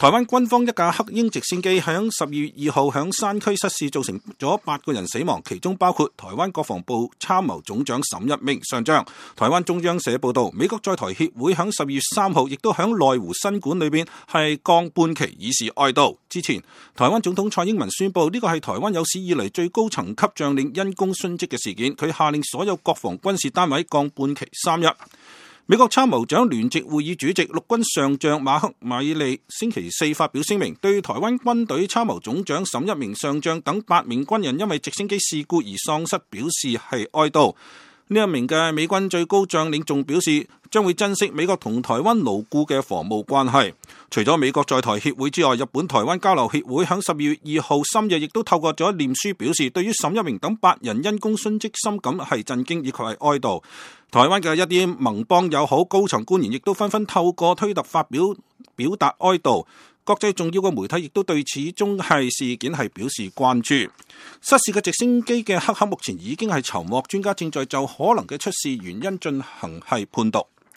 台灣軍方一架黑鷹直升機喺12月2號喺山區失事，造成咗8個人死亡，其中包括台灣國防部參謀總長沈一鳴上將。台灣中央社報道，美國在台協會喺12月3號亦都喺內湖新館裏邊係降半旗以示哀悼。之前，台灣總統蔡英文宣布呢個係台灣有史以嚟最高層級將領因公殉職嘅事件，佢下令所有國防軍事單位降半旗3日。美國參謀長聯席會議主席陸軍上將馬克米利星期四發表聲明，對台灣軍隊參謀總長沈一鳴上將等8名軍人因為直升機事故而喪失表示係哀悼。呢一名嘅美軍最高將領仲表示，將會珍惜美國同台灣牢固嘅防務關係。除咗美國在台協會之外，日本台灣交流協會喺12月2號深夜亦都透過咗臉書表示，對於沈一鳴等8人因公殉職深感係震驚以及係哀悼。台灣嘅一啲盟邦友好高層官員亦都紛紛透過推特發表達哀悼。國際重要嘅媒體亦都對此宗事件係表示關注。失事嘅直升機嘅黑盒目前已經係籌獲，專家正在就可能嘅出事原因進行係判讀。